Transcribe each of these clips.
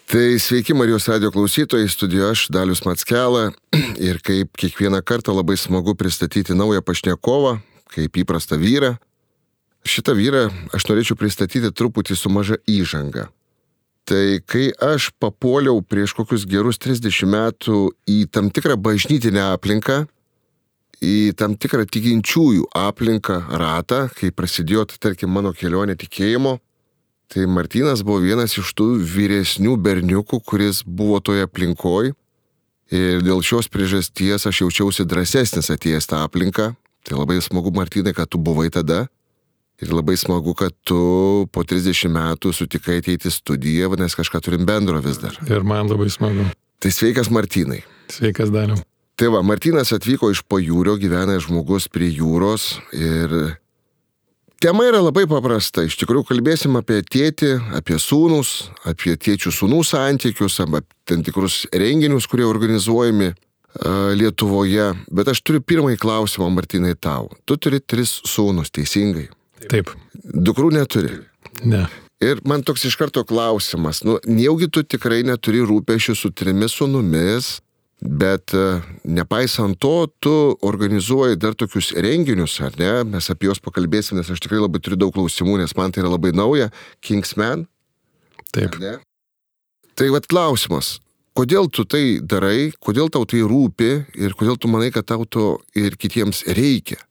Tai sveiki Marijos radijo klausytojai, studijoje aš Dalius Mackela ir kaip kiekvieną kartą labai smagu pristatyti naują pašnekovą, kaip įprastą vyrą. Šitą vyrą aš norėčiau pristatyti truputį su maža įžanga. Tai kai aš papuoliau prieš kokius gerus 30 metų į tam tikrą bažnytinę aplinką, į tam tikrą tikinčiųjų aplinką, ratą, kai prasidėjo, tarkim, mano kelionė tikėjimo, tai Martynas buvo vienas iš tų vyresnių berniukų, kuris buvo toje aplinkoje. Ir dėl šios priežasties aš jaučiausi drąsesnis atėjęs tą aplinką. Tai labai smagu, Martynai, kad tu buvai tada. Ir labai smagu, kad tu po 30 metų sutikai ateiti į studiją, nes kažką turim bendro vis dar. Ir man labai smagu. Tai sveikas, Martynai. Sveikas, Daliau. Tai va, Martynas atvyko iš pajūrio, gyvena žmogus prie jūros ir tema yra labai paprasta. Iš tikrųjų kalbėsim apie tėtį, apie sūnus, apie tėčių sūnų santykius, apie tam tikrus renginius, kurie organizuojami Lietuvoje. Bet aš turiu pirmąjį klausimą, Martynai, tau. Tu turi 3 sūnus, teisingai? Taip. Dukrų neturi? Ne. Ir man toks iš karto klausimas. Nejaugi tu tikrai neturi rūpesčių su 3 sūnumis, bet nepaisant to, tu organizuoji dar tokius renginius, ar ne? Mes apie juos pakalbėsim, nes aš tikrai labai turiu daug klausimų, nes man tai yra labai nauja. Kingsman? Taip. Tai vat klausimas, kodėl tu tai darai, kodėl tau tai rūpi ir kodėl tu manai, kad tau to ir kitiems reikia?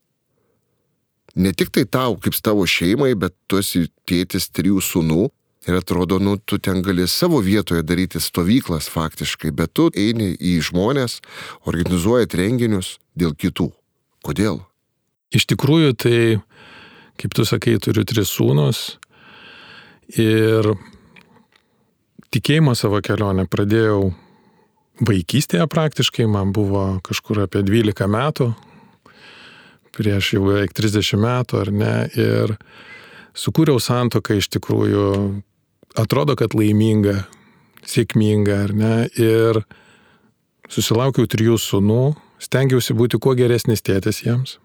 Ne tik tai tau, kaip tavo šeimai, bet tu esi tėtis 3 sūnų. Ir atrodo, tu ten gali savo vietoje daryti stovyklas faktiškai, bet tu eini į žmonės, organizuojat renginius dėl kitų. Kodėl? Iš tikrųjų, tai, kaip tu sakai, turiu 3 sūnus ir tikėjimo savo kelionę pradėjau vaikystėje praktiškai, man buvo kažkur apie 12 metų, prieš jau beveik 30 metų, ar ne, ir sukūriau santuoką iš tikrųjų, atrodo, kad laiminga, sėkminga, ar ne, ir susilaukiau 3 sūnų, stengiausi būti kuo geresnis tėtis jiems,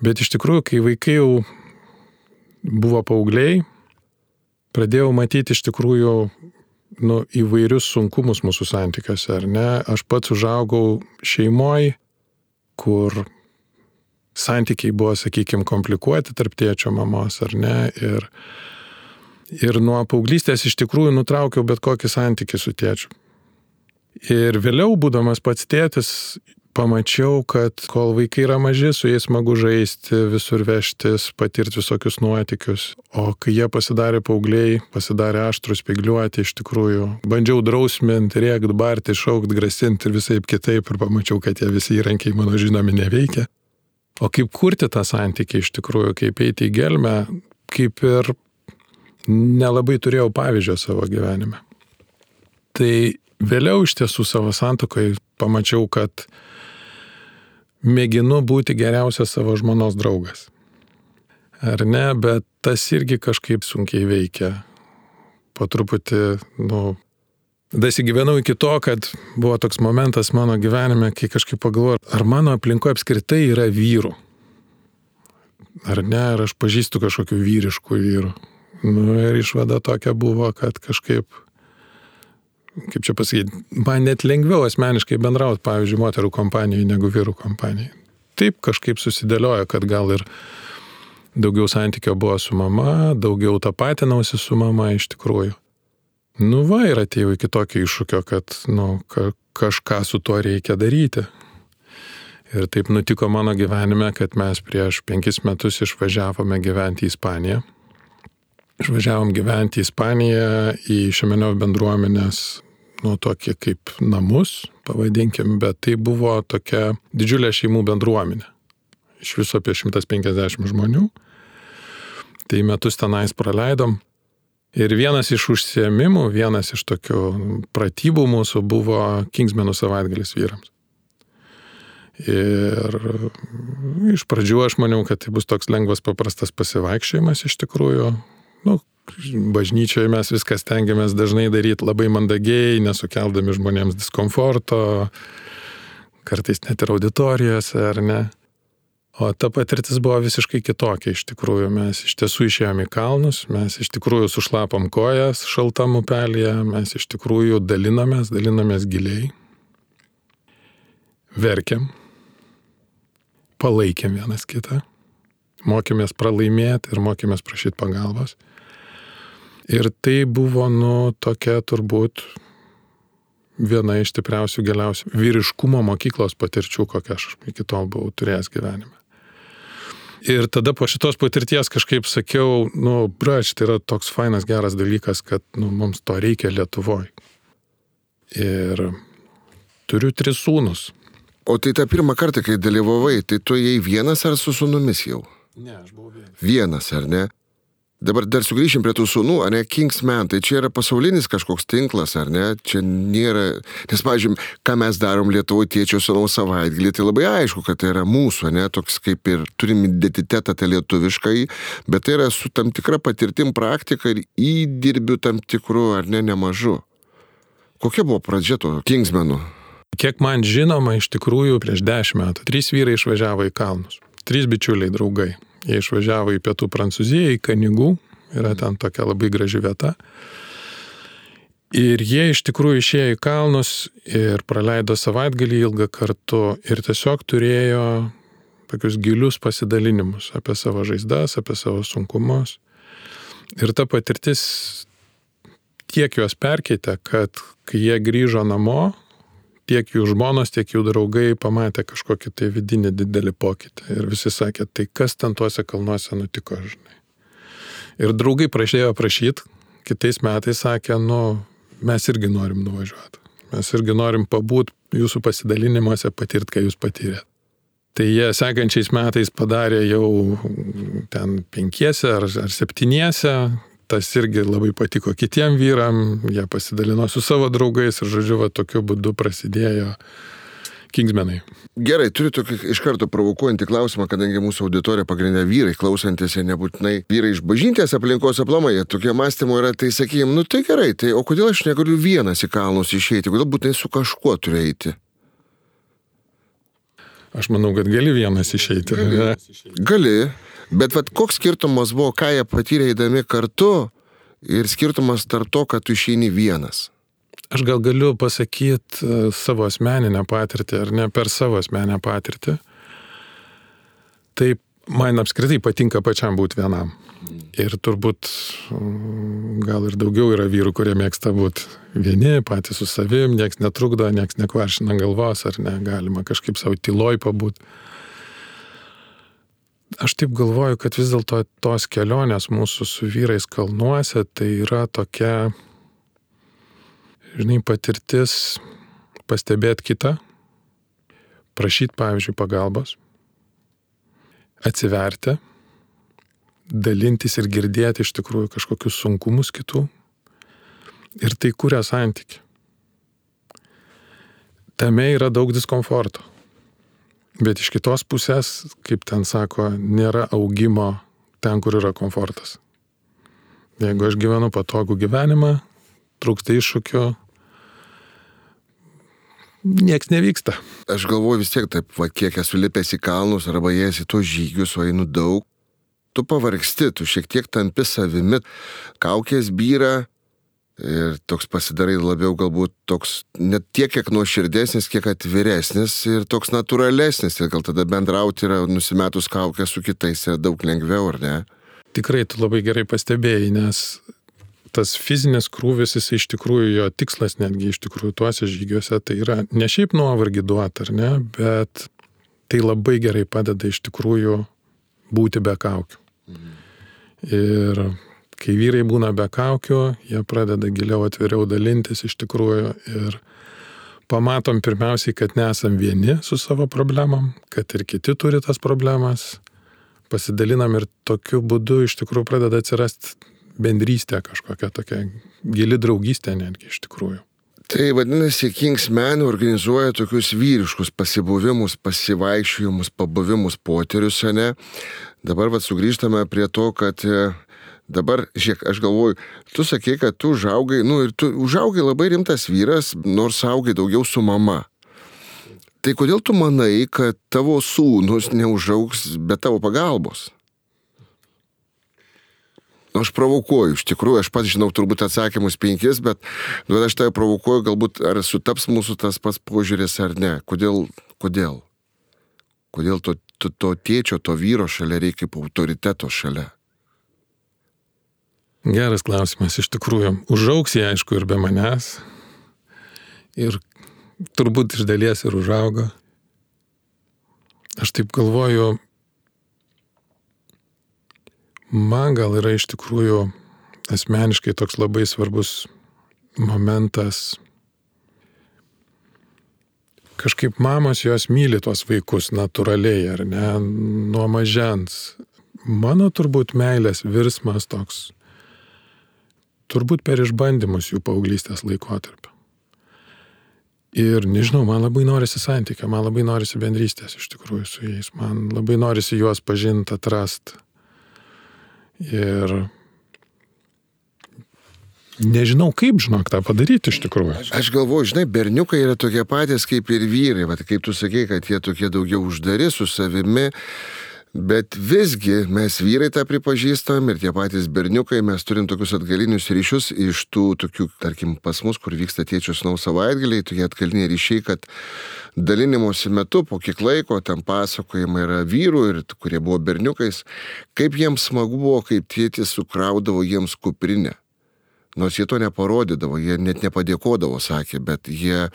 bet iš tikrųjų, kai vaikai jau buvo paaugliai, pradėjau matyti iš tikrųjų įvairius sunkumus mūsų santykiuose, ar ne, aš pats užaugau šeimoj, kur santykiai buvo, sakykime, komplikuoti tarp tėčio mamos, ar ne, ir nuo paauglystės iš tikrųjų nutraukiau bet kokį santykį su tėčiu. Ir vėliau, būdamas pats tėtis, pamačiau, kad kol vaikai yra maži, su jais smagu žaisti, visur vežtis, patirti visokius nuotykius. O kai jie pasidarė paaugliai, pasidarė aštrus, spygliuoti, iš tikrųjų, bandžiau drausminti, rėkt, barti, šaukt, grasinti ir visaip kitaip, ir pamačiau, kad tie visi įrankiai mano žinomi neveikia. O kaip kurti tą santykį iš tikrųjų, kaip eiti į gelmę, kaip ir nelabai turėjau pavyzdžio savo gyvenime. Tai vėliau iš tiesų savo santuokoje pamačiau, kad mėginu būti geriausias savo žmonos draugas. Ar ne, bet tas irgi kažkaip sunkiai veikia. Po truputį, dasigyvenau iki to, kad buvo toks momentas mano gyvenime, kai kažkaip pagalvojau, ar mano aplinkoje apskritai yra vyrų. Ar ne, ar aš pažįstu kažkokių vyriškų vyrų. Ir išvada tokia buvo, kad kažkaip, kaip čia pasakyti, man net lengviau asmeniškai bendrauti, pavyzdžiui, moterų kompanijai negu vyrų kompanijai. Taip kažkaip susidėliojo, kad gal ir daugiau santykio buvo su mama, daugiau tapatinausi su mama iš tikrųjų. Ir atėjau iki tokio iššūkio, kad kažką su tuo reikia daryti. Ir taip nutiko mano gyvenime, kad mes prieš 5 metus išvažiavome gyventi į Ispaniją. Išvažiavom gyventi į Ispaniją, į Šemenio bendruomenės, tokį kaip namus, pavadinkim, bet tai buvo tokia didžiulė šeimų bendruomenė. Iš viso apie 150 žmonių. Tai metus tenais praleidom. Ir vienas iš užsiėmimų, vienas iš tokių pratybų mūsų buvo Kingsmenų savaitgalis vyrams. Ir iš pradžių aš maniau, kad tai bus toks lengvas, paprastas pasivaikščiojimas iš tikrųjų. Bažnyčioje mes viską stengiamės dažnai daryti labai mandagiai, nesukeldami žmonėms diskomforto, kartais net ir auditorijose, ar ne. O ta patirtis buvo visiškai kitokia iš tikrųjų. Mes iš tiesų išėjome į kalnus, mes iš tikrųjų sušlapom kojas šaltam upelyje, mes iš tikrųjų dalinomės giliai, verkėm, palaikėm vienas kitą, mokėmės pralaimėti ir mokėmės prašyti pagalbos. Ir tai buvo, tokia turbūt viena iš stipriausių, giliausių vyriškumo mokyklos patirčių, kokią aš iki tol buvau turėjęs gyvenime. Ir tada po šitos patirties kažkaip sakiau, brač, tai yra toks fainas, geras dalykas, kad mums to reikia Lietuvoje. Ir turiu 3 sūnus. O tai tą pirmą kartą, kai dalyvavai, tai tu ėjai vienas ar su sūnumis jau? Ne, aš buvau vienas. Vienas, ar ne? Dabar dar sugrįšim prie tų sūnų, ar ne, Kingsman, tai čia yra pasaulinis kažkoks tinklas, ar ne? Čia nėra, nes, pavyzdžiui, ką mes darom Lietuvoje tėčio sūnaus savaitgalį, tai labai aišku, kad tai yra mūsų, ne, toks kaip ir turim identitetą tą lietuviškai, bet tai yra su tam tikra patirtim praktika ir įdirbiu tam tikru, ar ne, nemažu. Kokia buvo pradžia to Kingsmanų? Kiek man žinoma, iš tikrųjų prieš 10 metų 3 vyrai išvažiavo į kalnus. 3 bičiuliai, draugai. Jie išvažiavo į pietų Prancūziją, į Kanigų, yra ten tokia labai graži vieta. Ir jie iš tikrųjų išėjo į kalnus ir praleido savaitgalį ilgą kartu ir tiesiog turėjo tokius gilius pasidalinimus apie savo žaizdas, apie savo sunkumus. Ir ta patirtis tiek juos perkeitė, kad kai jie grįžo namo, tiek jų žmonos, tiek jų draugai pamatė kažkokį tai vidinį didelį pokytį. Ir visi sakė, tai kas ten tuose kalnuose nutiko, žinai. Ir draugai prašėjo prašyti, kitais metais sakė, mes irgi norim nuvažiuoti. Mes irgi norim pabūt jūsų pasidalinimuose, patirti, ką jūs patyrėt. Tai jie sekančiais metais padarė jau ten 5 ar 7. Tas irgi labai patiko kitiem vyram, jie pasidalino su savo draugais ir, žodžiu, tokiu būdu prasidėjo Kingsmanai. Gerai, turiu tokį iš karto provokuojantį klausimą, kadangi mūsų auditorija pagrindė vyrai, klausantis ir nebūtinai vyrai iš bažnytės aplinkos aplamai, tokie mąstymo yra, tai sakykime, tai gerai, tai o kodėl aš negaliu vienas į kalnus išeiti, kodėl būtinai su kažkuo turiu eiti? Aš manau, kad gali vienas išeiti. Gali. Bet koks skirtumas buvo, ką jie patyrė eidami kartu ir skirtumas tarp to, kad tu išeini vienas? Aš gal galiu pasakyti savo asmeninę patirtį, ar ne per savo asmeninę patirtį. Tai man apskritai patinka pačiam būti vienam. Ir turbūt gal ir daugiau yra vyrų, kurie mėgsta būti vieni, patys su savim, nieks netrukdo, nieks nekvaršina galvos, ar ne, galima kažkaip savo tyloj pabūti. Aš taip galvoju, kad vis dėlto tos kelionės mūsų su vyrais kalnuose tai yra tokia, žinai, patirtis pastebėti kitą, prašyti, pavyzdžiui, pagalbos, atsiverti, dalintis ir girdėti iš tikrųjų kažkokius sunkumus kitų ir tai kuria santykį. Tame yra daug diskomforto. Bet iš kitos pusės, kaip ten sako, nėra augimo ten, kur yra komfortas. Jeigu aš gyvenu patogų gyvenimą, trūksta iššūkių, nieks nevyksta. Aš galvoju vis tiek taip, kiek esu lipęs į kalnus arba ėjęs į tos žygius, o einu daug, tu pavargsti, tu šiek tiek tampi savimi, kaukės byra ir toks pasidarai labiau galbūt toks net tiek, kiek nuoširdesnis, kiek atviresnis ir toks natūralesnis. Ir gal tada bendrauti yra nusimetus kaukę su kitais yra daug lengviau, ar ne? Tikrai tu labai gerai pastebėjai, nes tas fizinis krūvis, jis iš tikrųjų, jo tikslas netgi iš tikrųjų tuose žygiuose, tai yra ne šiaip nuovargį duoti, ar ne, bet tai labai gerai padeda iš tikrųjų būti be kaukių. Ir kai vyrai būna be kaukių, jie pradeda giliau atviriau dalintis iš tikrųjų ir pamatom pirmiausiai, kad nesam vieni su savo problemam, kad ir kiti turi tas problemas, pasidalinam ir tokiu būdu iš tikrųjų pradeda atsirasti bendrystė kažkokia tokia gili draugystė netgi iš tikrųjų. Tai vadinasi, Kingsman organizuoja tokius vyriškus pasibuvimus, pasivaikščiojimus, pabuvimus, potyrius, ne? Dabar sugrįžtame prie to, kad dabar, žiūrėk, aš galvoju, tu sakei, kad tu užaugai, ir tu užaugai labai rimtas vyras, nors augai daugiau su mama. Tai kodėl tu manai, kad tavo sūnus neužaugs be tavo pagalbos? Aš provokuoju, iš tikrųjų, aš pats žinau turbūt atsakymus 5, bet aš tai provokuoju, galbūt ar sutaps mūsų tas pats požiūris ar ne. Kodėl? Kodėl to tėčio, to vyro šalia reikia kaip autoriteto šalia? Geras klausimas, iš tikrųjų. Užaugs jie, aišku, ir be manęs. Ir turbūt iš dalies ir užaugo. Aš taip galvoju, man gal yra iš tikrųjų asmeniškai toks labai svarbus momentas. Kažkaip mamos jos myli tuos vaikus natūraliai, ar ne, nuo mažens. Mano turbūt meilės virsmas toks, turbūt per išbandymus jų paauglystės laikotarpio. Ir nežinau, man labai norisi santykio, man labai norisi bendrystės iš tikrųjų su jais, man labai norisi juos pažinti, atrasti. Ir nežinau, kaip, tą padaryti iš tikrųjų. Aš galvoju, žinai, berniukai yra tokie patys kaip ir vyrai, vat, kaip tu sakei, kad jie tokie daugiau uždari su savimi, bet visgi mes vyrai tą pripažįstam ir tie patys berniukai, mes turim tokius atgalinius ryšius iš tų tokių, tarkim, pas mus, kur vyksta tėčių sūnaus savaitgaliai, tokie atgaliniai ryšiai, kad dalinimosi metu po kiek laiko ten pasakojimai yra vyrų ir kurie buvo berniukais, kaip jiems smagu buvo, kaip tėtis sukraudavo jiems kuprinę. Nors jie to neparodydavo, jie net nepadėkodavo, sakė, bet jie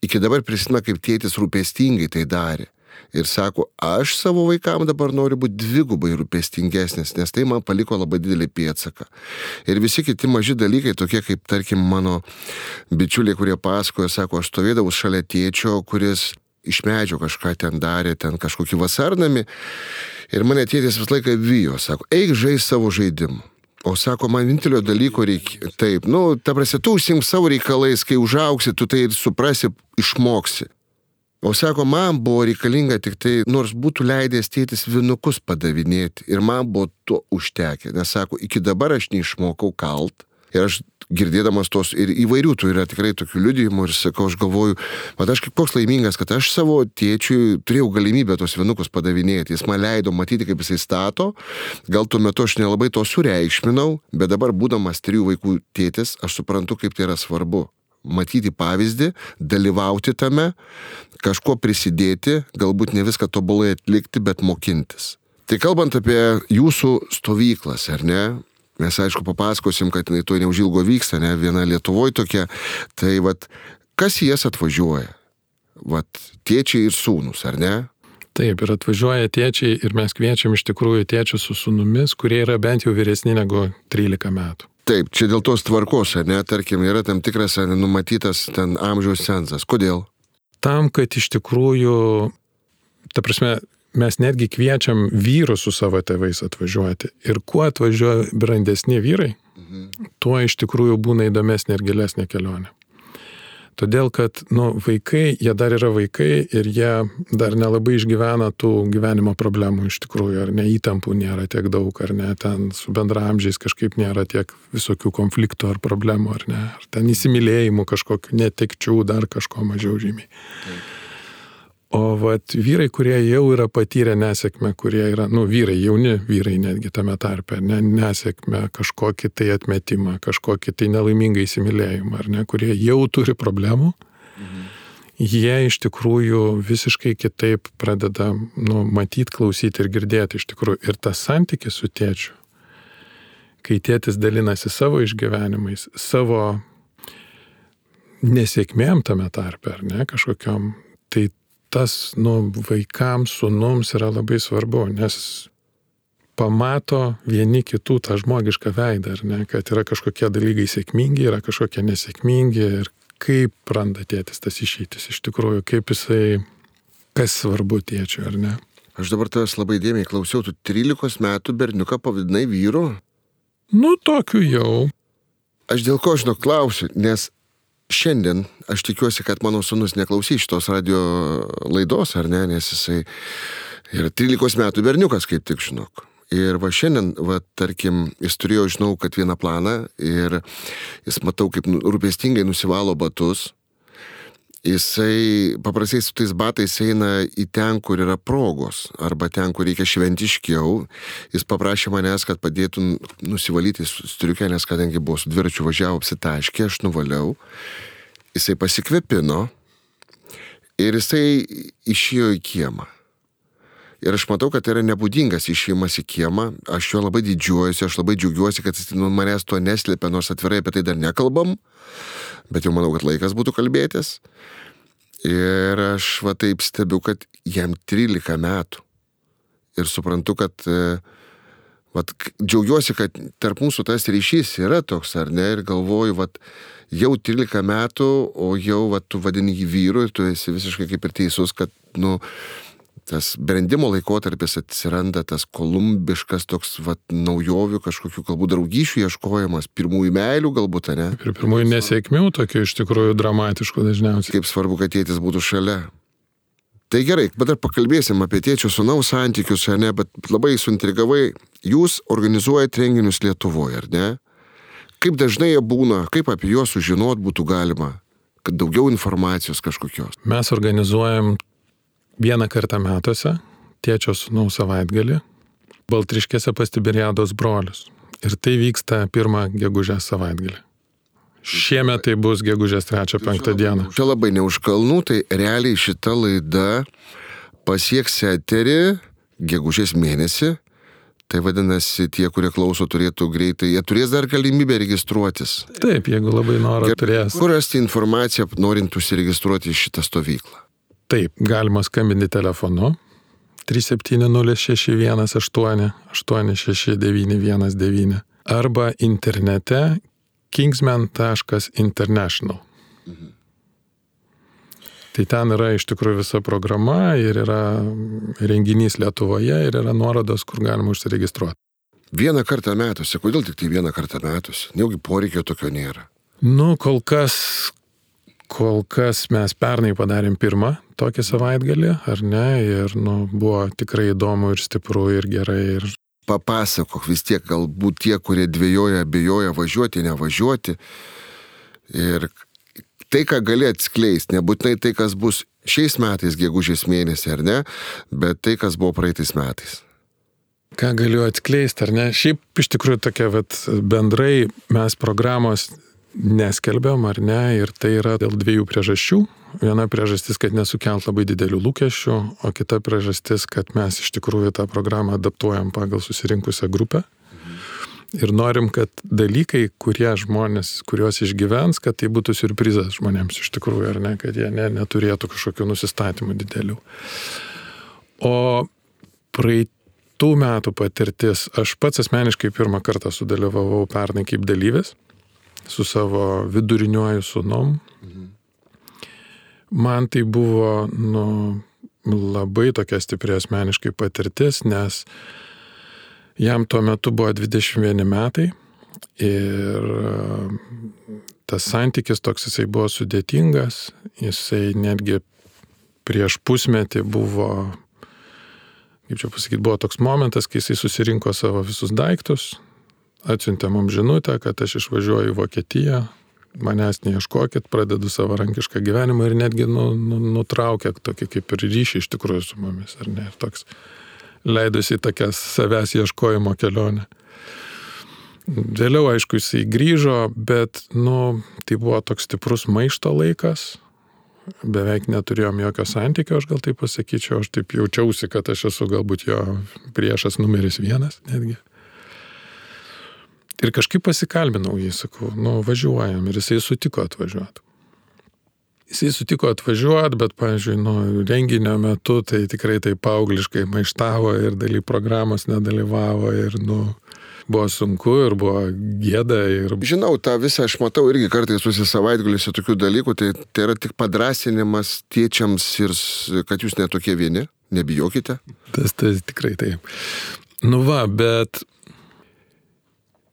iki dabar prisimena, kaip tėtis rūpestingai tai darė. Ir sako, aš savo vaikams dabar noriu būti dvigubai rūpestingesnis, nes tai man paliko labai didelį pėdsaką. Ir visi kiti maži dalykai, tokie kaip, tarkim, mano bičiuliai, kurie pasakojo, sako, aš stovėdavau šalia tėčio, kuris iš medžio kažką ten darė, ten kažkokį vasarnamį. Ir mane tėtis visą laiką vijo, sako, eik žaisti savo žaidimą. O sako, man vienintelio dalyko reikia, taip, ta prasme, tu užsiimk savo reikalais, kai užaugsi, tu tai ir suprasi, išmoksi. O sako, man buvo reikalinga tik tai, nors būtų leidęs tėtis vinukus padavinėti. Ir man buvo to užtekę. Nes sako, iki dabar aš neišmokau kalt. Ir aš girdėdamas tos ir įvairių, tu yra tikrai tokių liudijimų ir sakau, aš galvoju, mat aš kaip koks laimingas, kad aš savo tėčiui turėjau galimybę tos vinukus padavinėti. Jis man leido matyti, kaip jisai stato. Gal tuo metu aš nelabai to sureikšminau, bet dabar būdamas 3 vaikų tėtis, aš suprantu, kaip tai yra svarbu. Matyti pavyzdį, dalyvauti tame, kažko prisidėti, galbūt ne viską tobulai atlikti, bet mokintis. Tai kalbant apie jūsų stovyklas, ar ne? Mes aišku papasakosim, kad jinai to neužilgo vyksta, ne? Viena Lietuvoje tokia. Tai kas į jas atvažiuoja? Tėčiai ir sūnus, ar ne? Taip, ir atvažiuoja tėčiai ir mes kviečiam iš tikrųjų tėčius su sūnumis, kurie yra bent jau vyresni negu 13 metų. Taip, čia dėl tos tvarkos, ar ne, tarkim, yra tam tikras numatytas ten amžiaus cenzas. Kodėl? Tam, kad iš tikrųjų, ta prasme, mes netgi kviečiam vyrus su savo tėvais atvažiuoti. Ir kuo atvažiuoja brandesni vyrai, tuo iš tikrųjų būna įdomesnė ir gilesnė kelionė. Todėl, kad vaikai, jie dar yra vaikai ir jie dar nelabai išgyvena tų gyvenimo problemų iš tikrųjų, ar ne, įtampų nėra tiek daug, ar ne, ten su bendraamžiais kažkaip nėra tiek visokių konfliktų ar problemų, ar ne, ar ten įsimylėjimų kažkokių netekčių, dar kažko mažiau žymiai. O vyrai, kurie jau yra patyrę nesėkmę, kurie yra, vyrai, jauni vyrai netgi tame tarpe, nesėkmę, kažkokį tai atmetimą, kažkokį tai nelaimingą įsimylėjimą, ar ne, kurie jau turi problemų, jie iš tikrųjų visiškai kitaip pradeda matyti, klausyti ir girdėti iš tikrųjų. Ir tas santykis su tėčiu, kai tėtis dalinasi savo išgyvenimais, savo nesėkmėm tame tarpe, ar ne, kažkokiom, tai tas, vaikams, sūnums yra labai svarbu, nes pamato vieni kitų tą žmogišką veidą, ar ne, kad yra kažkokie dalykai sėkmingi, yra kažkokie nesėkmingi ir kaip randa tėtis tas išeitis iš tikrųjų, kaip jisai, kas svarbu tėčiui, ar ne. Aš dabar tavęs labai dėmiai klausiau, tu 13 metų berniuką pavadinai vyru? Tokiu jau. Aš dėl ko klausiu, nes šiandien aš tikiuosi, kad mano sūnus neklausys šitos radio laidos, ar ne, nes jisai yra 13 metų berniukas, kaip tik žinok. Ir šiandien, tarkim, jis turėjo, žinau, kad vieną planą ir jis matau, kaip rūpestingai nusivalo batus Jisai paprastai su tais batais eina į ten, kur yra progos, arba ten, kur reikia šventiškiau. Jis paprašė manęs, kad padėtų nusivalyti striukę, nes kadangi buvo su dviračiu važiavo apsitaškė, aš nuvaliau. Jisai pasikvepino ir jisai išėjo į kiemą. Ir aš matau, kad tai yra nebūdingas išėjimas į kiemą. Aš jo labai didžiuojuosi, aš labai džiaugiuosi, kad jis manęs to neslėpia, nors atvirai apie tai dar nekalbam. Bet jau manau, kad laikas būtų kalbėtis. Ir aš va taip stebiu, kad jam 13 metų. Ir suprantu, kad džiaugiuosi, kad tarp mūsų tas ryšys yra toks, ar ne? Ir galvoju, jau 13 metų, o jau tu vadini jį vyru ir tu esi visiškai kaip ir teisus, kad, tas brendimo laikotarpis atsiranda, tas kolumbiškas toks, naujovių kažkokių galbūt draugyšių ieškojimas, pirmųjų meilių galbūt, ne? Ir pirmųjų nesėkmių, tokių iš tikrųjų dramatiškų dažniausiai. Kaip svarbu, kad tėtis būtų šalia. Tai gerai, bet dar pakalbėsim apie tėčio sūnaus santykius, ne? Bet labai suintrigavai, jūs organizuojate renginius Lietuvoje, ar ne? Kaip dažnai jie būna, kaip apie juos sužinot būtų galima, kad daugiau informacijos kažkokios? Mes organizuojam vieną kartą metuose, tėčio sūnaus savaitgalį, Baltriškėse pas Tiberiados brolius. Ir tai vyksta 1 gegužės savaitgalį. Šiemet tai bus gegužės 3-5 dieną. Čia labai ne už kalnų, tai realiai šita laida pasieks eterį gegužės mėnesį. Tai vadinasi, tie, kurie klauso, turėtų greitai, jie turės dar galimybę registruotis. Taip, jeigu labai noro turės. Kur rasti informaciją, norint užsiregistruoti į šitą stovyklą? Taip, galima skambinti telefonu 3706188 869119 arba internete kingsman.international. Tai ten yra iš tikrųjų visa programa ir yra renginys Lietuvoje ir yra nuorodos, kur galima užsiregistruoti. Vieną kartą metuose, kodėl tik tai vieną kartą metuose? Neugi poreikio tokio nėra. Kol kas mes pernai padarėm 1 tokį savaitgalį, ar ne, ir buvo tikrai įdomu ir stipru ir gerai. Ir... Papasakok vis tiek, galbūt tie, kurie dvejoja, abejoja važiuoti, nevažiuoti. Ir tai, ką gali atskleisti, nebūtinai tai, kas bus šiais metais, gegužės mėnesį, ar ne, bet tai, kas buvo praeitais metais. Ką galiu atskleisti, ar ne? Šiaip iš tikrųjų tokia, bendrai mes programos neskelbiam, ar ne, ir tai yra dėl 2 priežasčių. Viena priežastis, kad nesukelt labai didelių lūkesčių, o kita priežastis, kad mes iš tikrųjų tą programą adaptuojam pagal susirinkusią grupę. Ir norim, kad dalykai, kuriuos išgyvens, kad tai būtų siurprizas žmonėms iš tikrųjų, ar ne, kad jie neturėtų kažkokių nusistatymų didelių. O praeitų metų patirtis, aš pats asmeniškai 1 kartą sudalyvavau pernai kaip dalyvis su savo viduriniuoju sūnum. Man tai buvo labai tokia stipri asmeniškai patirtis, nes jam tuo metu buvo 21 metai ir tas santykis toks jisai buvo sudėtingas, jisai netgi prieš pusmetį buvo, buvo toks momentas, kai jisai susirinko savo visus daiktus, atsiuntė mums žinutę, kad aš išvažiuoju į Vokietiją, manęs neieškokit, pradedu savarankišką gyvenimą ir netgi nutraukė tokį kaip ir ryšį iš tikrųjų su mumis, ar ne, ir toks leidosi tokią savęs ieškojimo kelionę. Vėliau, aišku, jisai grįžo, bet, tai buvo toks stiprus maišto laikas, beveik neturėjom jokio santykio, aš gal taip pasakyčiau, aš taip jaučiausi, kad aš esu galbūt jo priešas numeris 1 netgi. Ir kažkaip pasikalbinau jį, sakau, važiuojam, ir jisai sutiko atvažiuoti. Bet, pavyzdžiui, renginio metu tai tikrai tai paaugliškai maištavo ir daly programos nedalyvavo ir, buvo sunku ir buvo gėda. Ir... Žinau, tą visą aš matau irgi kartais savaitgaliuose tokių dalykų, tai yra tik padrąsinimas tėčiams ir kad jūs netokie vieni, nebijokite. Tas tikrai taip. Bet...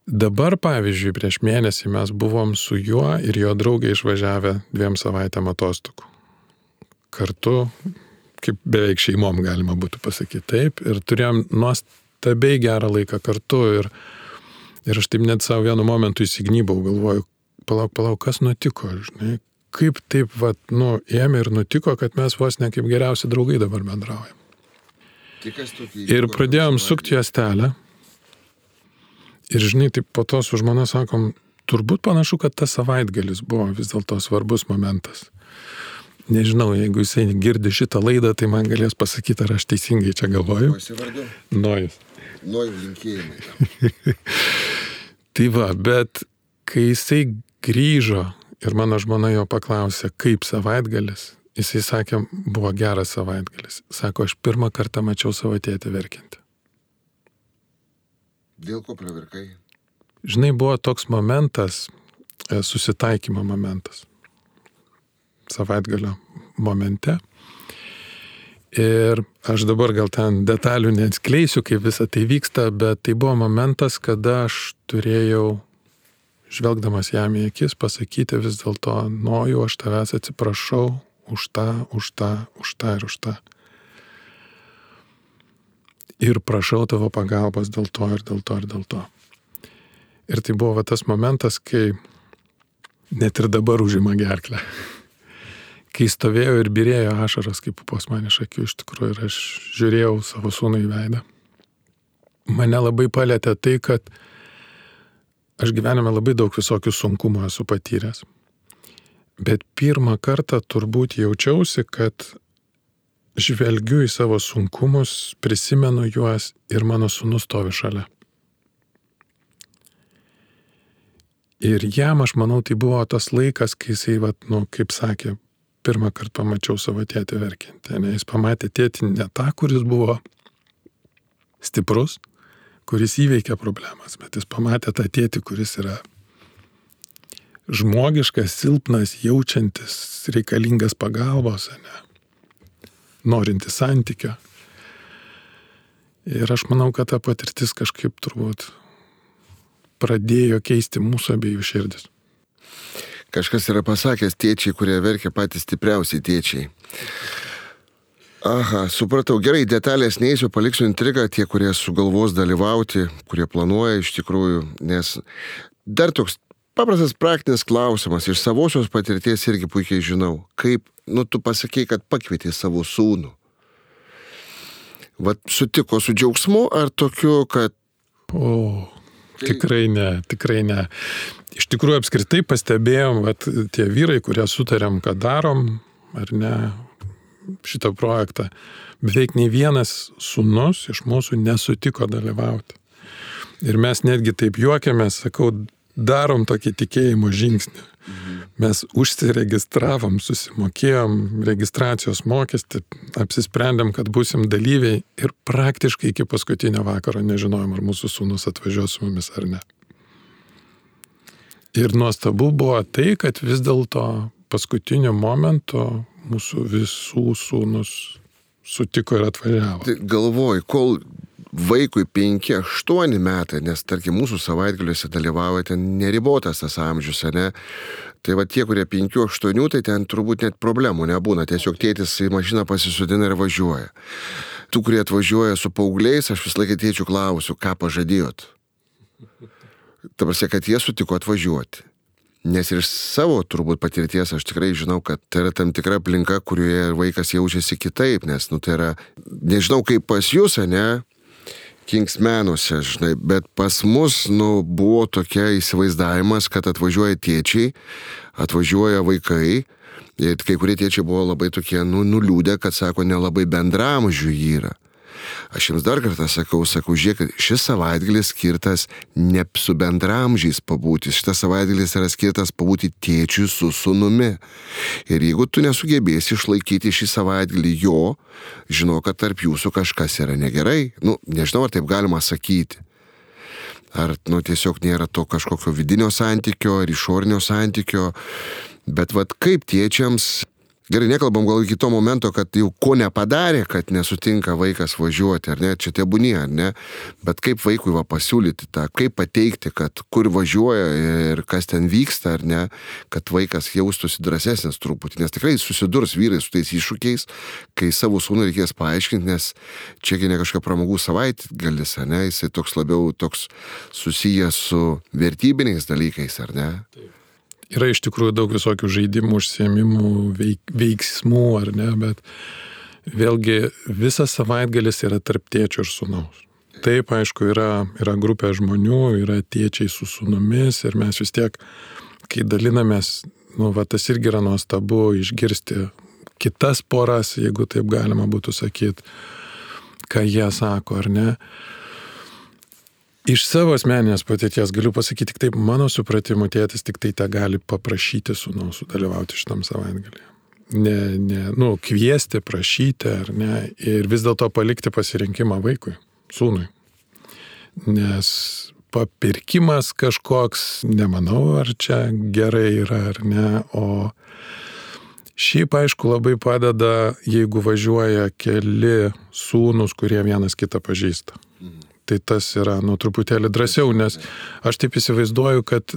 Dabar, pavyzdžiui, prieš mėnesį mes buvom su juo ir jo draugė išvažiavę 2 savaitėm atostogų. Kartu, kaip beveik šeimom galima būtų pasakyti taip, ir turėjom nuostabiai gerą laiką kartu ir aš taip net savo vienu momentu įsignybau, galvoju, palauk, kas nutiko, žinai, kaip taip, ėmė ir nutiko, kad mes vos ne kaip geriausi draugai dabar bendraujam. Ir pradėjom sukti juostelę. Ir žinai, taip po to su žmona sakom, turbūt panašu, kad tas savaitgalis buvo vis dėlto svarbus momentas. Nežinau, jeigu jisai girdi šitą laidą, tai man galės pasakyti, ar aš teisingai čia galvoju. Nojus. Nojus linkėjimai. Tai va, bet kai jisai grįžo ir mano žmona jo paklausė, kaip savaitgalis, jisai sakė, buvo geras savaitgalis. Sako, aš pirmą kartą mačiau savo tėtį verkiantį. Dėl ko pravirkai? Žinai, buvo toks momentas, susitaikymo momentas. Savaitgalio momente. Ir aš dabar gal ten detalių neatskleisiu, kaip visą tai vyksta, bet tai buvo momentas, kada aš turėjau, žvelgdamas jam į akis, pasakyti vis dėlto, Nojau, aš tavęs atsiprašau už tą ir už tą. Ir prašau tavo pagalbos dėl to ir dėl to ir dėl to. Ir tai buvo tas momentas, kai net ir dabar užima gerklę. Kai stovėjo ir birėjo ašaros, kaip pupos man iš akių iš tikrųjų, ir aš žiūrėjau savo sūnų į veidą. Mane labai palėtė tai, kad aš gyvenime labai daug visokių sunkumų esu patyręs. Bet pirmą kartą turbūt jaučiausi, kad žvelgiu į savo sunkumus, prisimenu juos ir mano sūnus stovi šalia. Ir jam, aš manau, tai buvo tas laikas, kai jisai, kaip sakė, pirmą kartą pamačiau savo tėtį verkiantį. Jis pamatė tėtį ne tą, kuris buvo stiprus, kuris įveikė problemas, bet jis pamatė tą tėtį, kuris yra žmogiškas, silpnas, jaučiantis, reikalingas pagalbos, norintis santykio. Ir aš manau, kad ta patirtis kažkaip turbūt pradėjo keisti mūsų abiejų širdis. Kažkas yra pasakęs, tėčiai, kurie verkia, patys stipriausiai tėčiai. Aha, supratau. Gerai, detalės neįsiu, paliksiu intrigą tie, kurie sugalvos dalyvauti, kurie planuoja iš tikrųjų, nes dar toks paprastas praktinis klausimas, iš savosios patirties irgi puikiai žinau, kaip, tu pasakei, kad pakvietė savo sūnų. Vat sutiko su džiaugsmu ar tokiu, kad... Tikrai ne. Iš tikrųjų apskritai pastebėjom, tie vyrai, kurie sutarėm, kad darom, ar ne, šitą projektą, beveik nei vienas sūnus iš mūsų nesutiko dalyvauti. Ir mes netgi taip juokiamės, sakau, darom tokį tikėjimo žingsnį. Mes užsiregistravom, susimokėjom registracijos mokestį, apsisprendėm, kad būsim dalyviai ir praktiškai iki paskutinio vakaro nežinojom, ar mūsų sūnus atvažiuos su mumis ar ne. Ir nuostabu buvo tai, kad vis dėlto paskutiniu momentu mūsų visų sūnus sutiko ir atvažiavo. Tai galvoju, kol vaikui 5-8 metai, nes tarkim mūsų savaitgaliuose dalyvauja ten neribotas tas amžius, ne? Tai tie, kurie 5-8, tai ten turbūt net problemų nebūna, tiesiog tėtis į mašiną pasisodina ir važiuoja. Tų, kurie atvažiuoja su paaugliais, aš vis laiką tėčių klausiu, ką pažadėjot. Ta prasme, kad jie sutiko atvažiuoti. Nes ir iš savo turbūt patirties aš tikrai žinau, kad tai yra tam tikra aplinka, kurioje vaikas jaučiasi kitaip, nes tai yra, nežinau kaip pas jūs, ne, Kingsmenuose, žinai, bet pas mus, buvo tokia įsivaizdavimas, kad atvažiuoja tėčiai, atvažiuoja vaikai, ir kai kurie tėčiai buvo labai tokie, nuliūdę, kad sako, nelabai bendramžių yra. Aš jums dar kartą sakau, žiūrėk, šis savaitgalis skirtas ne su bendramžiais pabūti, šitas savaitgalis yra skirtas pabūti tėčiui su sūnumi. Ir jeigu tu nesugebėsi išlaikyti šį savaitgalį jo, žinau, kad tarp jūsų kažkas yra negerai. Nežinau, ar taip galima sakyti. Ar tiesiog nėra to kažkokio vidinio santykio ar išorinio santykio. Bet kaip tėčiams... Gerai, nekalbam gal iki to momento, kad jau ko nepadarė, kad nesutinka vaikas važiuoti, ar ne, čia tebūnie, ar ne, bet kaip vaikui pasiūlyti tą, kaip pateikti, kad kur važiuoja ir kas ten vyksta, ar ne, kad vaikas jaustųsi drąsesnis truputį, nes tikrai susidurs vyrai su tais iššūkiais, kai savo sūnų reikės paaiškinti, nes čiagi ne kažkokia pramogų savaitgalis, ar ne, jisai labiau toks susijęs su vertybiniais dalykais, ar ne? Taip. Yra iš tikrųjų daug visokių žaidimų, užsiėmimų, veiksmų, ar ne, bet vėlgi visas savaitgalis yra tarp tėčio ir sūnaus. Taip, aišku, yra grupė žmonių, yra tėčiai su sūnumis ir mes vis tiek, kai dalinamės, tas irgi yra nuostabu išgirsti kitas poras, jeigu taip galima būtų sakyti, ką jie sako, ar ne. Iš savo asmeninės patirties galiu pasakyti tik taip, mano supratimu tėtis tik tai gali paprašyti sūnaus sudalyvauti šitam savaitgalį. Kviesti, prašyti, ar ne, ir vis dėlto palikti pasirinkimą vaikui, sūnui. Nes papirkimas kažkoks, nemanau, ar čia gerai yra, ar ne, o šiaip, aišku, labai padeda, jeigu važiuoja keli sūnus, kurie vienas kitą pažįsta. Tai tas yra, truputėlį drąsiau, nes aš taip įsivaizduoju, kad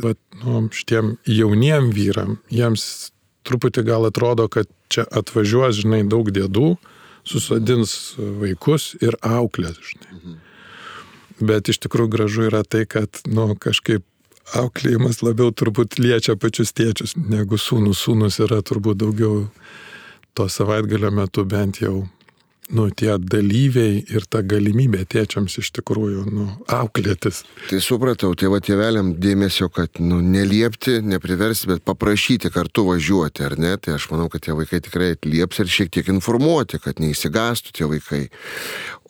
šitiem jauniem vyram, jiems truputį gal atrodo, kad čia atvažiuos, daug dėdų, susodins vaikus ir auklės, Bet iš tikrųjų gražu yra tai, kad, kažkaip auklėjimas labiau turbūt liečia pačius tėčius, negu sūnus. Sūnus yra turbūt daugiau to savaitgalio metu bent jau, tie dalyviai ir ta galimybė tėčiams iš tikrųjų, auklėtis. Tai supratau, tėveliam dėmesio, kad, neliepti, nepriversti, bet paprašyti kartu važiuoti, ar ne? Tai aš manau, kad tie vaikai tikrai atlieps ir šiek tiek informuoti, kad neįsigastų tie vaikai.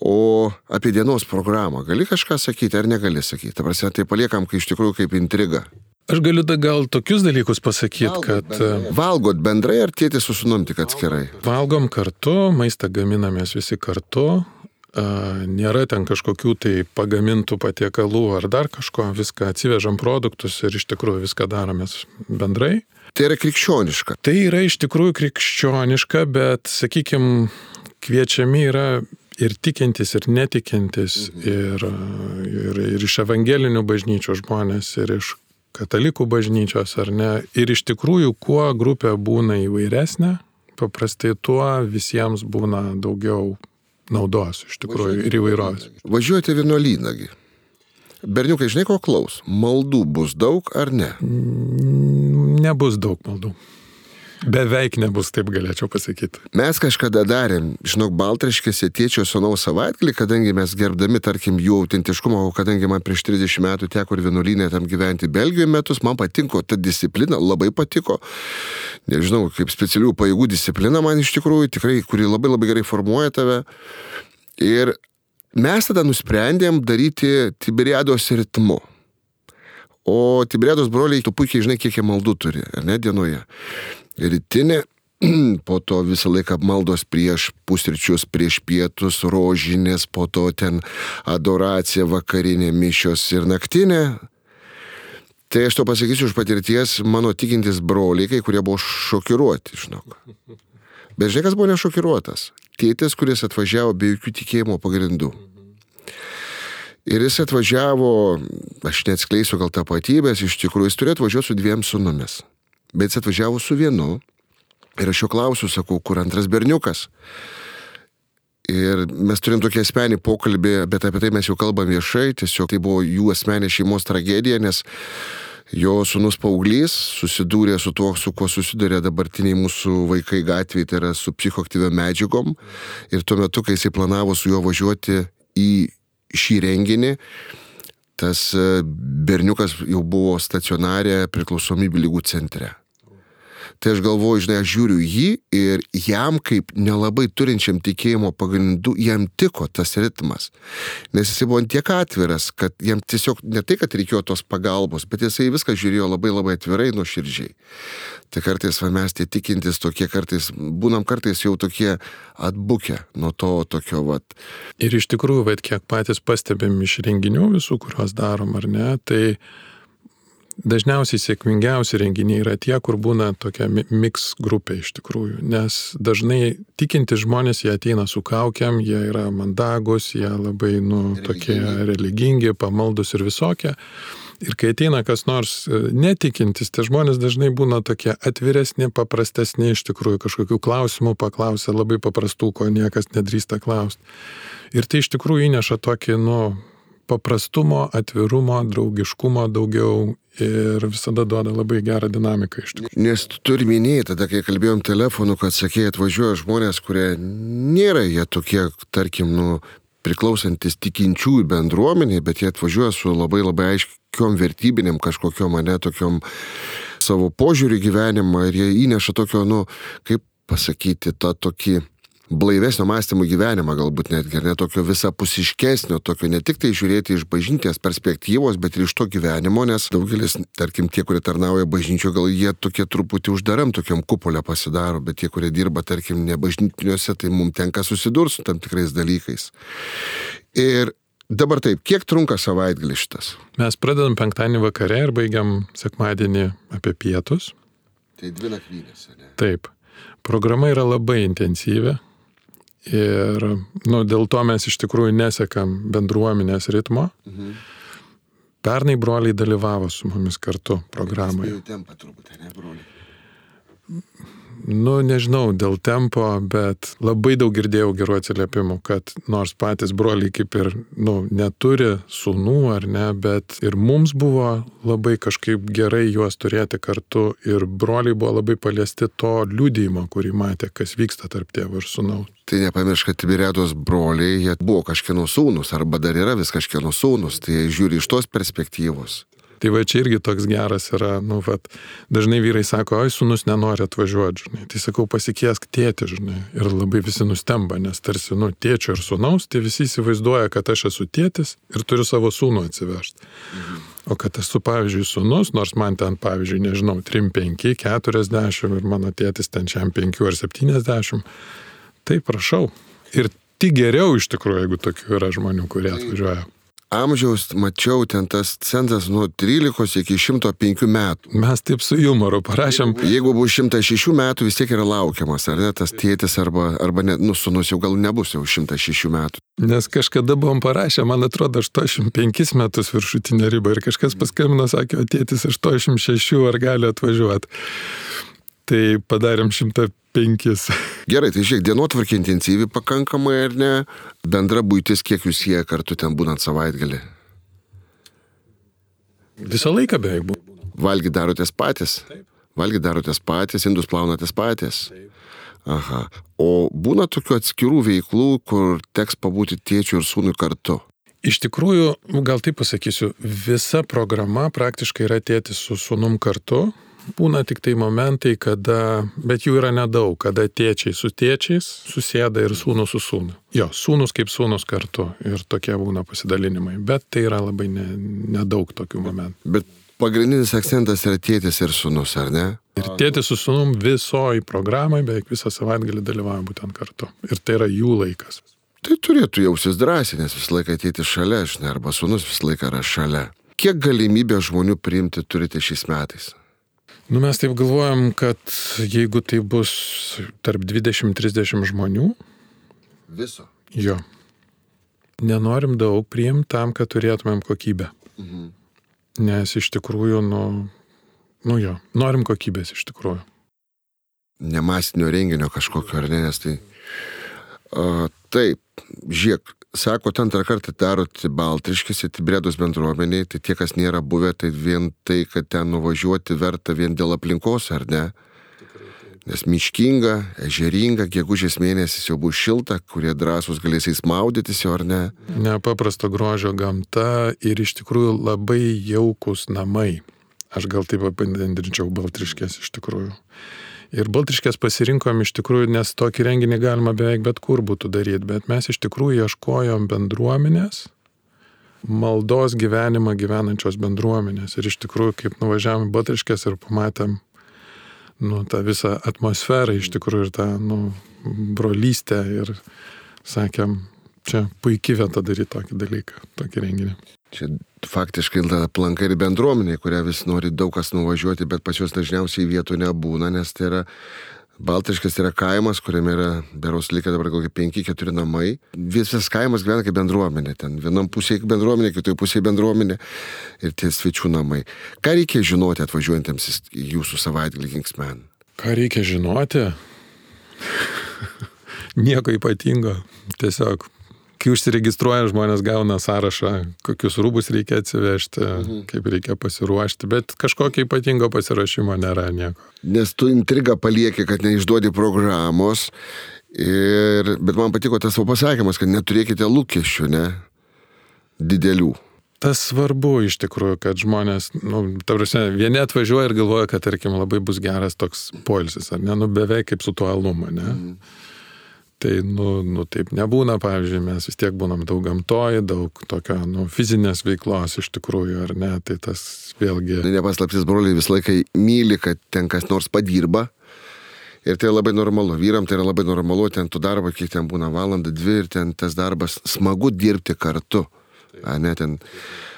O apie dienos programą gali kažką sakyti ar negali sakyti? Ta prasme, tai paliekam, kai iš tikrųjų kaip intriga. Aš galiu gal tokius dalykus pasakyti, kad... Valgot bendrai ar tėtis su sūnum tik atskirai? Valgom kartu, maistą gaminamės visi kartu, nėra ten kažkokių tai pagamintų patiekalų ar dar kažko, viską atsivežam produktus ir iš tikrųjų viską daromės bendrai. Tai yra krikščioniška? Tai yra iš tikrųjų krikščioniška, bet, sakykime, kviečiami yra ir tikintis, ir netikintis, ir iš evangelinių bažnyčių žmonės, ir iš katalikų bažnyčios, ar ne. Ir iš tikrųjų, kuo grupė būna įvairesnė, paprastai tuo visiems būna daugiau naudos, iš tikrųjų, ir įvairovės. Važiuojate vienuolynagi. Berniukai, žinai, ko klaus? Maldų bus daug ar ne? Nebus daug maldų. Beveik nebus, taip galėčiau pasakyti. Mes kažkada darėm, Baltraškėse tėčio sūnaus savaitgalį, kadangi mes gerbdami, tarkim, jų autentiškumą, kadangi man prieš 30 metų teko ir vienuolyne tam gyventi Belgijoje metus, man patiko ta disciplina, labai patiko. Nežinau, kaip specialių pajėgų disciplina man iš tikrųjų, tikrai, kuri labai labai gerai formuoja tave. Ir mes tada nusprendėm daryti Tiberiados ritmu. O Tiberiados broliai, tu puikiai žinai, kiek jie maldų turi, ar ne, dienoje. Rytinė, po to visą laiką maldos prieš pusryčius, prieš pietus, rožinės, po to ten adoracija, vakarinė, mišios ir naktinė. Tai aš to pasakysiu iš patirties, mano tikintis broliai, kai kurie buvo šokiruoti, Bet žinai, kas buvo nešokiruotas? Tėtis, kuris atvažiavo be jokių tikėjimo pagrindų. Ir jis atvažiavo, aš neatskleisiu gal tapatybės, iš tikrųjų, jis turėjo atvažiuoti su 2 sūnumis. Bet jis atvažiavo su 1. Ir aš jo klausiu, sakau, kur antras berniukas. Ir mes turim tokį asmenį pokalbį, bet apie tai mes jau kalbam viešai, tiesiog tai buvo jų asmenė šeimos tragedija, nes jo sūnus paauglys susidūrė su tuo, su kuo susidūrė dabartiniai mūsų vaikai gatvėje, tai yra su psichoaktyviom medžiagom. Ir tuo metu, kai jisai planavo su juo važiuoti į šį renginį, tas berniukas jau buvo stacionarė priklausomybių ligų centre. Tai aš galvoju, žinai, aš žiūriu jį ir jam kaip nelabai turinčiam tikėjimo pagrindų, jam tiko tas ritmas. Nes jisai buvo tiek atviras, kad jam tiesiog ne tai, kad reikėjo tos pagalbos, bet jisai viską žiūrėjo labai labai atvirai, nuoširdžiai. Tai kartais mes tie tikintis tokie kartais, būnam kartais jau tokie atbukę nuo to tokio vat. Ir iš tikrųjų, kiek patys pastebėm iš renginių visų, kuriuos darom, ar ne, tai dažniausiai sėkmingiausi renginiai yra tie, kur būna tokia mix grupė iš tikrųjų, nes dažnai tikinti žmonės, jie ateina su kaukiam, jie yra mandagus, jie labai, tokie religingi, pamaldus ir visokie. Ir kai ateina kas nors netikintis, tai žmonės dažnai būna tokie atviresni, paprastesni, iš tikrųjų kažkokių klausimų paklausia labai paprastų, ko niekas nedrįsta klausti. Ir tai iš tikrųjų įneša tokį, paprastumo, atvirumo, draugiškumo daugiau ir visada duoda labai gerą dinamiką iš tikrųjų. Nes tu turi minėti, tada kai kalbėjom telefonu, kad sakė, atvažiuoja žmonės, kurie nėra jie tokie, tarkim, priklausantis tikinčiųjų bendruomeniai, bet jie atvažiuoja su labai labai aiškiom vertybinėm kažkokiom, tokiom savo požiūrį gyvenimą ir jie įneša tokio, kaip pasakyti, tą tokį blaivesnio mąstymo gyvenimą galbūt netgi, ne tokio visapusiškesnio, tokio ne tik tai žiūrėti iš bažnytinės perspektyvos, bet ir iš to gyvenimo, nes daugelis, tarkim, tie, kurie tarnauja bažnyčio, gal jie tokie truputį uždaram tokiam kupolę pasidaro, bet tie, kurie dirba, tarkim, ne bažnytiniuose, tai mums tenka susidurti su tam tikrais dalykais. Ir dabar taip, kiek trunka savaitgalis šitas? Mes pradedam penktadienį vakare ir baigiam sekmadienį apie pietus. Tai 2 nakvynės, ne? Taip. Programa yra labai intensyvi. Ir dėl to mes iš tikrųjų nesekam bendruomenės ritmo. Pernai broliai dalyvavo su mumis kartu programoje. Spėjau tempą truputį, ne, broliai? Nežinau dėl tempo, bet labai daug girdėjau gerų atsiliepimų, kad nors patys broliai kaip ir, neturi sūnų ar ne, bet ir mums buvo labai kažkaip gerai juos turėti kartu ir broliai buvo labai paliesti to liudijimo, kurį matė, kas vyksta tarp tėvo ir sūnaus. Tai nepamiršk, kad Tiberiados broliai, jie buvo kažkieno sūnus, arba dar yra vis kažkieno sūnus, tai jie žiūri iš tos perspektyvos. Tai va čia irgi toks geras yra, dažnai vyrai sako, oi, sūnus nenori atvažiuoti, žinai. Tai sakau, pasikiesk tėtį, žinai. Ir labai visi nustemba, nes tarsi, tėčio ir sūnaus, tai visi įsivaizduoja, kad aš esu tėtis ir turiu savo sūnų atsivežti. O kad esu, pavyzdžiui, sūnus, nors man ten, pavyzdžiui, nežinau, 3, 5, 40 ir mano tėtis ten šiam 5 ar 70, tai prašau. Ir tik geriau iš tikrųjų, jeigu tokių yra žmonių, kurie atvažiuoja. Amžiaus, mačiau, ten tas cenzas nuo 13 iki 105 metų. Mes taip su jumoru parašėm. Jeigu bus 106 metų, vis tiek yra laukiamas, ar ne, tas tėtis, arba ne, sūnus jau gal nebus jau 106 metų. Nes kažkada buvom parašę, man atrodo, 85 metus viršutinė riba ir kažkas paskambino, sakė, o tėtis 86, ar gali atvažiuoti. Tai padarėm 105. Gerai, tai žiūrėk, dienotvarkė intensyvi pakankamai, ar ne? Bendra buitis, kiek jūs jie kartu ten būnant savaitgalį? Visą laiką beveik buvo. Valgy darotės patys? Taip. Valgy darotės patys, indus plaunatės patys? Taip. Aha. O būna tokių atskirų veiklų, kur teks pabūti tėčiu ir sūnui kartu? Iš tikrųjų, gal taip pasakysiu, visa programa praktiškai yra tėtis su sūnum kartu. Būna tik tai momentai, bet jų yra nedaug, kada tėčiai su tėčiais susėda ir sūnus su sūnu. Jo, sūnus kaip sūnus kartu ir tokie būna pasidalinimai, bet tai yra labai nedaug tokių momentų. Bet pagrindinis akcentas yra tėtis ir sūnus, ar ne? Ir tėtis su sūnum visoji programai beveik visą savaitgalį dalyvauja būtent kartu. Ir tai yra jų laikas. Tai turėtų jausis drąsiai, nes visą laiką tėtis šalia, žinai, arba sūnus visą laiką yra šalia. Kiek galimybę žmonių priimti turite šiais metais? Mes taip galvojam, kad jeigu tai bus tarp 20-30 žmonių. Viso? Jo. Nenorim daug priimti tam, kad turėtumėm kokybę. Nes iš tikrųjų, norim kokybės iš tikrųjų. Nemasinio renginio kažkokio, ar ne, nes tai... Taip, žiūrėk, sako, antrą kartą darot Baltriškėse, Tiberiados bendruomeniai, tai tie, kas nėra buvę, tai vien tai, kad ten nuvažiuoti verta vien dėl aplinkos, ar ne? Nes miškinga, ežeringa, gegužės mėnesis jau bus šilta, kurie drąsūs galės maudytis jau, ar ne? Nepaprasto grožio gamta ir iš tikrųjų labai jaukus namai. Aš gal taip apibendrinčiau Baltriškės iš tikrųjų. Ir Baltriškės pasirinkom iš tikrųjų, nes tokį renginį galima beveik bet kur būtų daryti, bet mes iš tikrųjų ieškojom bendruomenės, maldos gyvenimą gyvenančios bendruomenės. Ir iš tikrųjų, kaip nuvažiavom į Baltriškės ir pamatėm tą visą atmosferą, iš tikrųjų ir tą brolystę ir sakėm, čia puikiai vieta daryti tokį dalyką, tokį renginį. Čia faktiškai aplanka ir bendruomenė, kurią vis nori daug kas nuvažiuoti, bet pas juos dažniausiai vietų nebūna, nes tai yra Baltriškės yra kaimas, kuriame yra beros likę dabar kokie 5-4 namai. Visas kaimas gyvena kaip bendruomenė. Ten vienam pusėje bendruomenė, kitoje pusėje bendruomenė ir tie svečių namai. Ką reikia žinoti atvažiuojantiems į jūsų savaitgalį Kingsman? Ką reikia žinoti? Nieko ypatingo. Tiesiog kai užsiregistruoja, žmonės gauna sąrašą, kokius rūbus reikia atsivežti, kaip reikia pasiruošti, bet kažkokio ypatingo pasiruošimo nėra nieko. Nes tu intrigą palieki, kad neišduodi programos, bet man patiko tas pasakymas, kad neturėkite lūkesčių, ne? Didelių. Tas svarbu iš tikrųjų, kad žmonės, vieni atvažiuoja ir galvoja, kad, tarkim, labai bus geras toks poilsis, ar ne, beveik kaip su tuo aluma, ne? Tai, taip nebūna, pavyzdžiui, mes vis tiek būnam daug gamtoj, daug tokio, fizinės veiklos iš tikrųjų, ar ne, tai tas vėlgi... Nepaslaptis, broliai visą laiką myli, kad ten kas nors padirba. Ir tai labai normalu. Vyram tai yra labai normalu, ten tu darbo, kiek ten būna valandą, 2 ir ten tas darbas smagu dirbti kartu. A, ne, ten,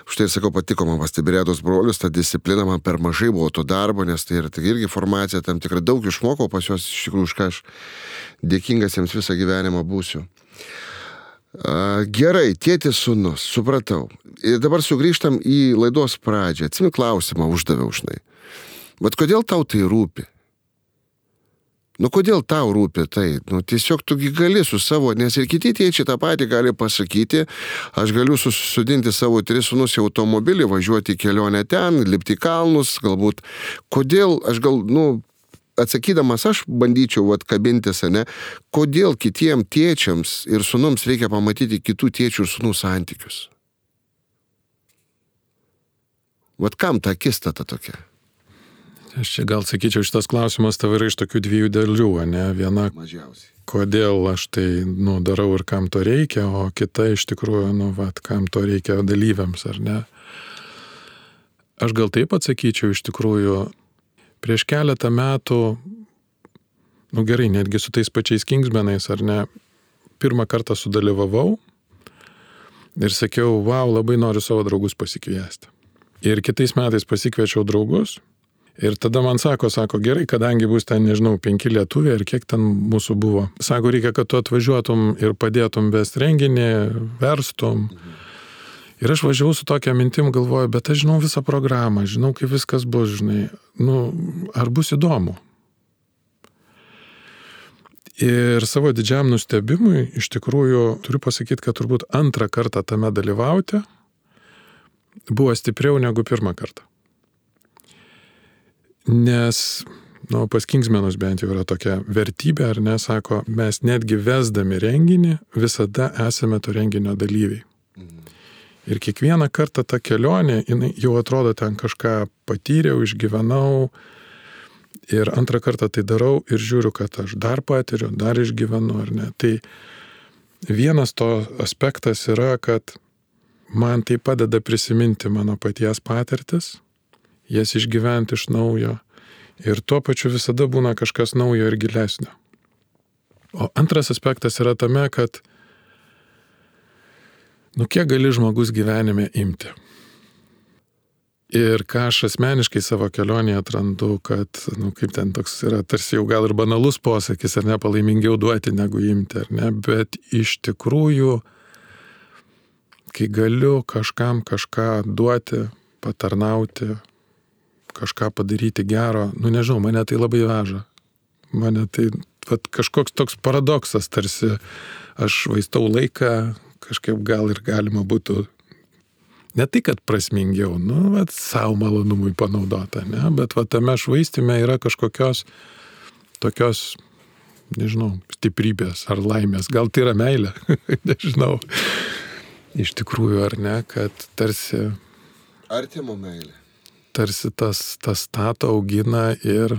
štai ir sakau, patiko man pastebėtos brolius, ta disciplina man per mažai buvo to darbo, nes tai yra irgi formacija, tam tikrai daug išmokau pas juos, iš tikrųjų, už ką aš dėkingas jiems visą gyvenimą būsiu. Gerai, tėtis sūnus, supratau. Ir dabar sugrįžtam į laidos pradžią. Atsimink klausimą uždaviau žinai. Bet kodėl tau tai rūpi? Kodėl tau rūpi tai? Tiesiog tugi gali su savo, nes ir kiti tėčiai tą patį gali pasakyti, aš galiu susodinti savo 3 sūnus į automobilį, važiuoti į kelionę ten, lipti į kalnus, galbūt. Kodėl aš atsakydamas aš bandyčiau kabintis, ne? Kodėl kitiem tėčiams ir sūnums reikia pamatyti kitų tėčių ir sūnų santykius? Kam ta akistata tokia? Aš čia gal sakyčiau, šitas klausimas tavo yra iš tokių 2 dalių, ne? Viena, mažiausiai. Kodėl aš tai, darau ir kam to reikia, o kita iš tikrųjų, kam to reikia dalyviams, ar ne? Aš gal taip atsakyčiau, iš tikrųjų, prieš keletą metų, gerai, netgi su tais pačiais Kingsmenais, ar ne, pirmą kartą sudalyvavau ir sakiau, wow, labai noriu savo draugus pasikviesti. Ir kitais metais pasikviečiau draugus. Ir tada man sako, gerai, kadangi bus ten, 5 lietuviai ir kiek ten mūsų buvo. Sako, reikia, kad tu atvažiuotum ir padėtum vesti renginį, verstum. Ir aš važiavau su tokia mintim, galvoju, bet aš žinau visą programą, žinau, kaip viskas bus, žinai. Ar bus įdomu? Ir savo didžiam nustebimui, iš tikrųjų, turiu pasakyti, kad turbūt 2 kartą tame dalyvauti buvo stipriau negu 1 kartą. Nes, pas Kingsmenus bent jau yra tokia vertybė, ar ne, sako, mes netgi vesdami renginį, visada esame to renginio dalyviai. Ir kiekvieną kartą ta kelionė, jau atrodo ten kažką patyriau, išgyvenau, ir 2 kartą tai darau ir žiūriu, kad aš dar patiriu, dar išgyvenu, ar ne. Tai vienas to aspektas yra, kad man tai padeda prisiminti mano paties patirtis, jas išgyventi iš naujo ir tuo pačiu visada būna kažkas naujo ir gilesnio. O antras aspektas yra tame, kad kiek gali žmogus gyvenime imti. Ir ką aš asmeniškai savo kelionėje atrandu, kad, kaip ten toks yra, tarsi jau gal ir banalus posakis, ar ne, palaimingiau duoti negu imti, ar ne, bet iš tikrųjų, kai galiu kažkam kažką duoti, patarnauti, kažką padaryti gero, nežinau, mane tai labai veža. Mane tai kažkoks toks paradoksas, tarsi aš švaistau laiką, kažkaip gal ir galima būtų, ne tai, kad prasmingiau, savo malonumui panaudota, ne, bet tame švaistime yra kažkokios tokios, nežinau, stiprybės ar laimės, gal tai yra meilė, nežinau, iš tikrųjų ar ne, kad tarsi artimo meilė. Tarsi tas stato augina ir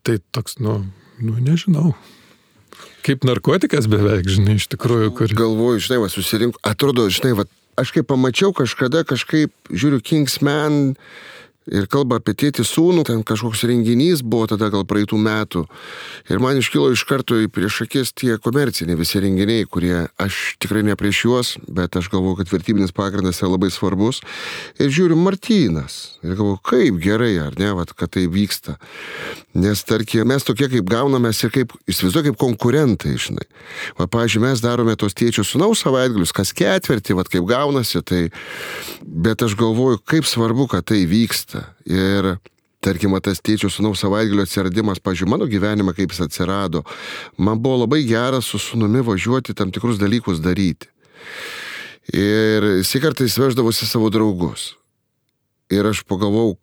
tai toks, nežinau, kaip narkotikas beveik, žinai, iš tikrųjų, kur... Galvoju, žinai, susirink, atrodo, žinai, aš kaip pamačiau kažkada, žiūriu Kingsman ir kalba apie tėtį sūnų, ten kažkoks renginys buvo tada gal praeitų metų. Ir man iškilo iš karto prieš akis tie komerciniai visi renginiai, kurie aš tikrai ne prieš juos, bet aš galvoju, kad vertybinis pagrindas yra labai svarbus. Ir žiūriu Martynas. Ir galvoju, kaip gerai, ar ne, kad tai vyksta. Nes, tarkim, mes tokie kaip gaunamės ir kaip, įsivaizduoju, kaip konkurentai, žinai. Pavyzdžiui, mes darome tos tėčių sūnaus savaitgalius, kas ketvirtį, kaip gaunasi, tai... Bet aš galvoju, kaip svarbu, kad tai vyksta. Ir tarkim, tas tėčio sūnaus savaitgalio atsiradimas, pavyzdžiui, mano gyvenime, kaip jis atsirado, man buvo labai gera su sūnumi važiuoti tam tikrus dalykus daryti. Ir jis kartais veždavosi savo draugus. Ir aš pagalvojau,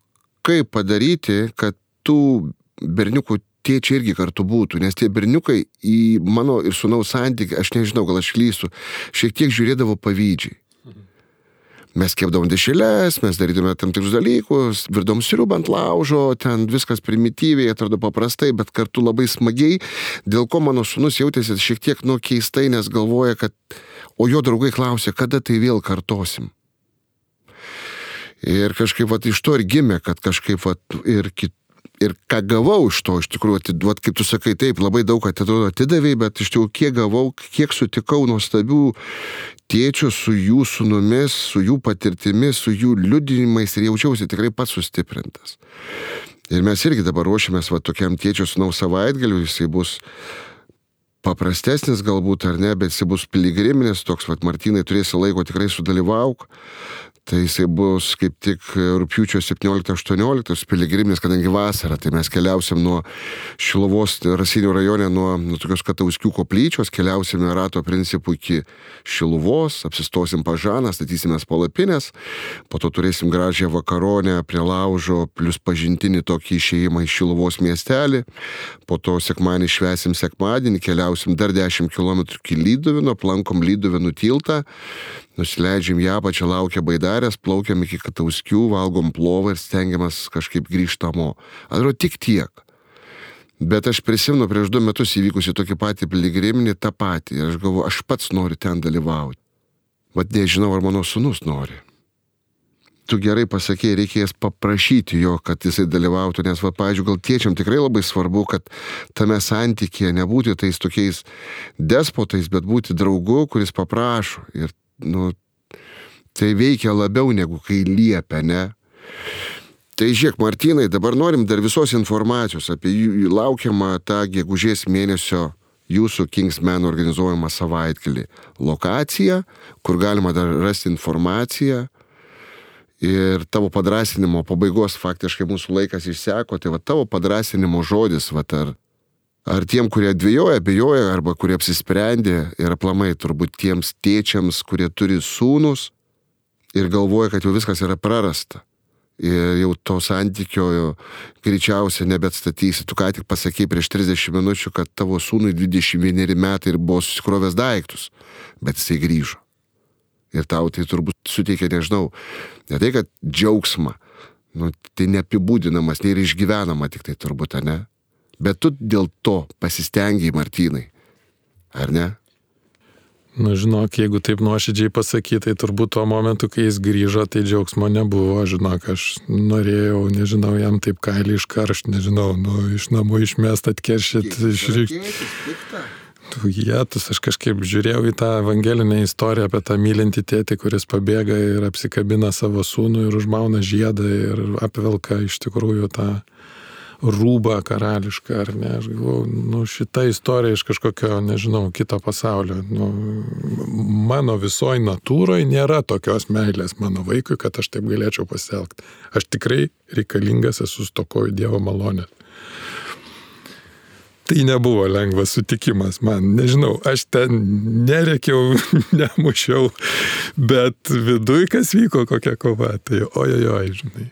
kaip padaryti, kad tų berniukų tėčiai irgi kartu būtų, nes tie berniukai į mano ir sūnaus santykį, aš nežinau, gal aš klystu, šiek tiek žiūrėdavo pavydžiai. Mes kepdavom dešreles, mes darydome tam tikrus dalykus, virdom sriubą ant laužo, ten viskas primityviai, atrodo paprastai, bet kartu labai smagiai, dėl ko mano sūnus jautėsi šiek tiek keistai, nes galvoja, kad, o jo draugai klausė, kada tai vėl kartosim. Ir kažkaip iš to ir gimė, kad kažkaip ir ką gavau iš to, iš tikrųjų, kaip tu sakai, taip, labai daug atidavėjai, bet iš tikrųjų, kiek gavau, kiek sutikau nuostabių tėčių su jų sūnumis, su jų patirtimis, su jų liudinimais ir jaučiausi tikrai pats sustiprintas. Ir mes irgi dabar ruošiamės tokiam tėčio sūnaus savaitgaliui, jisai bus paprastesnis galbūt ar ne, bet jisai bus piligriminis, toks, Martynai, turėsi laiko, tikrai sudalyvauk. Tai jisai bus kaip tik rugpjūčio 17-18 piligriminis, kadangi vasara, tai mes keliausim nuo Šiluvos Raseinių rajone, nuo tokios Katauskių koplyčios, keliausime rato principų iki Šiluvos, apsistosim Pažaną, statysimės palapinės, po to turėsim gražią vakaronę prie laužo, plus pažintinį tokį išėjimą į Šiluvos miestelį, po to sekmadienį švęsim sekmadienį, keliausim dar 10 km iki Lyduvino, aplankom Lyduvinų tiltą, nusileidžiam ją apačią, laukia baidarės, plaukiam iki Katauskių, valgom plovą ir stengiamės kažkaip grįžtamo. Atrodo, tik tiek. Bet aš prisimenu prieš 2 metus įvykusi tokį patį piligriminį, tą patį. Ir aš galvoju, aš pats noriu ten dalyvauti. Bet nežinau, ar mano sūnus nori. Tu gerai pasakėjai, reikės paprašyti jo, kad jisai dalyvautų, nes, pavyzdžiui, gal tėčiam tikrai labai svarbu, kad tame santykėje nebūti tais tokiais despotais, bet būti draugu, kuris paprašo. Ir tai veikia labiau negu kai liepia, ne? Tai žiūrėk, Martynai, dabar norim dar visos informacijos apie laukiamą tą gegužės mėnesio jūsų Kingsmen organizuojamą savaitgalį. Lokacija, kur galima dar rasti informaciją ir tavo padrąsinimo pabaigos faktiškai mūsų laikas išseko, tai tavo padrąsinimo žodis, ar tiem, kurie dvejoja, abejoja, arba kurie apsisprendė ir aplamai turbūt tiems tėčiams, kurie turi sūnus ir galvoja, kad jau viskas yra prarasta. Ir jau to santykio greičiausiai nebeatstatysi. Tu ką tik pasakei prieš 30 minučių, kad tavo sūnui 21 metai ir buvo susikrovęs daiktus, bet jisai grįžo. Ir tau tai turbūt suteikia, nežinau, ne tai, kad džiaugsmą, tai neapibūdinamas, ne ir išgyvenama tik tai turbūt, ne? Bet tu dėl to pasistengiai, Martynai, ar ne? Žinok, jeigu taip nuoširdžiai pasakyti, tai turbūt tuo momentu, kai jis grįžo, tai džiaugsmo nebuvo, žinok, aš norėjau, nežinau, jam taip kailį iškaršt, nežinau, iš namų išmest, atkeršyt, Jėtus, aš kažkaip žiūrėjau į tą evangelinę istoriją apie tą mylintį tėtį, kuris pabėga ir apsikabina savo sūnų ir užmauna žiedą ir apvelka iš tikrųjų tą rūbą karališką, ar ne, aš galvoju, šita istorija iš kažkokio, nežinau, kito pasaulio. Mano visoj natūroje nėra tokios meilės mano vaikui, kad aš taip galėčiau pasielgti. Aš tikrai reikalingas esu, stokoju Dievo malonės. Tai nebuvo lengvas sutikimas man, nežinau, aš ten nerėkiau, nemušiau, bet viduj kas vyko, kokia kova, tai ojojoj, žinai.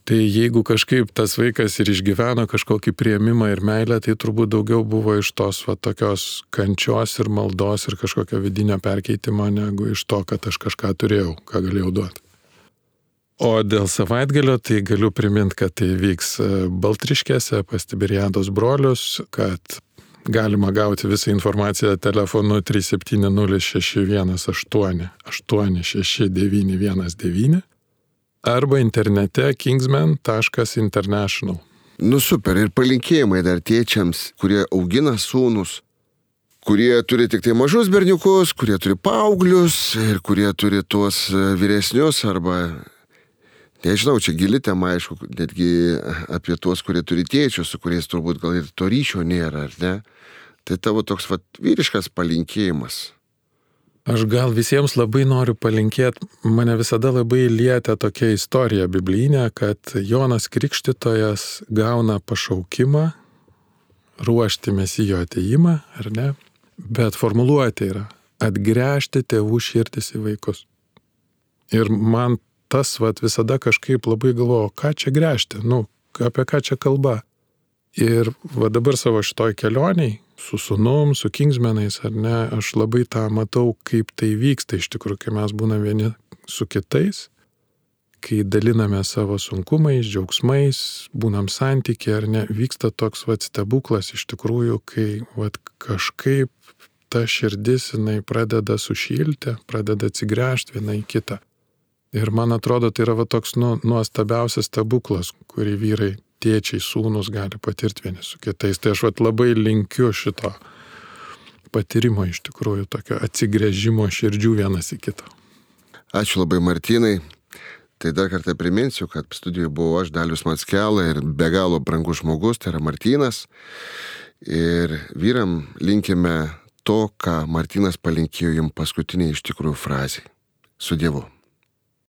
Tai jeigu kažkaip tas vaikas ir išgyveno kažkokį priėmimą ir meilę, tai turbūt daugiau buvo iš tos tokios kančios ir maldos ir kažkokio vidinio perkeitimo, negu iš to, kad aš kažką turėjau, ką galėjau duoti. O dėl savaitgalio tai galiu priminti, kad tai vyks Baltriškėse pas Tiberiados brolius, kad galima gauti visą informaciją telefonu 3706188 86919 arba internete kingsmen.international. Super, ir palinkėjimai dar tėčiams, kurie augina sūnus, kurie turi tik tai mažus berniukus, kurie turi paauglius ir kurie turi tuos vyresnius arba, nežinau, čia gili tema, aišku, netgi apie tuos, kurie turi tėčius, su kuriais turbūt gal ir to ryšio nėra, ar ne? Tai tavo toks vyriškas palinkėjimas. Aš gal visiems labai noriu palinkėti, mane visada labai lietė tokia istorija biblinė, kad Jonas Krikštytojas gauna pašaukimą ruošti Mesijo ateimą, ar ne? Bet formuluotė yra atgręžti tėvų širdis į vaikus. Ir man tas visada kažkaip labai galvoju, ką čia gręžti, apie ką čia kalba. Ir dabar savo šitoj kelioniai, su sūnum, su Kingsmenais, ar ne, aš labai tą matau, kaip tai vyksta iš tikrųjų, kai mes būname vieni su kitais, kai daliname savo sunkumais, džiaugsmais, būnam santykiai, ar ne, vyksta toks stebuklas iš tikrųjų, kai kažkaip ta širdis, jinai pradeda sušilti, pradeda atsigręžti viena į kitą. Ir man atrodo, tai yra toks nuostabiausias stebuklas, kurį vyrai, tėčiai, sūnus gali patirti vieni su kitais. Tai aš labai linkiu šito patyrimo iš tikrųjų, tokio atsigręžimo širdžių vienas į kitą. Ačiū labai, Martynai. Tai dar kartą priminsiu, kad studijoje buvau aš, Dalius Mackela, ir be galo brangus žmogus, tai yra Martynas. Ir vyram linkime to, ką Martynas palinkėjo jums paskutinė iš tikrųjų frazė. Su Dievu.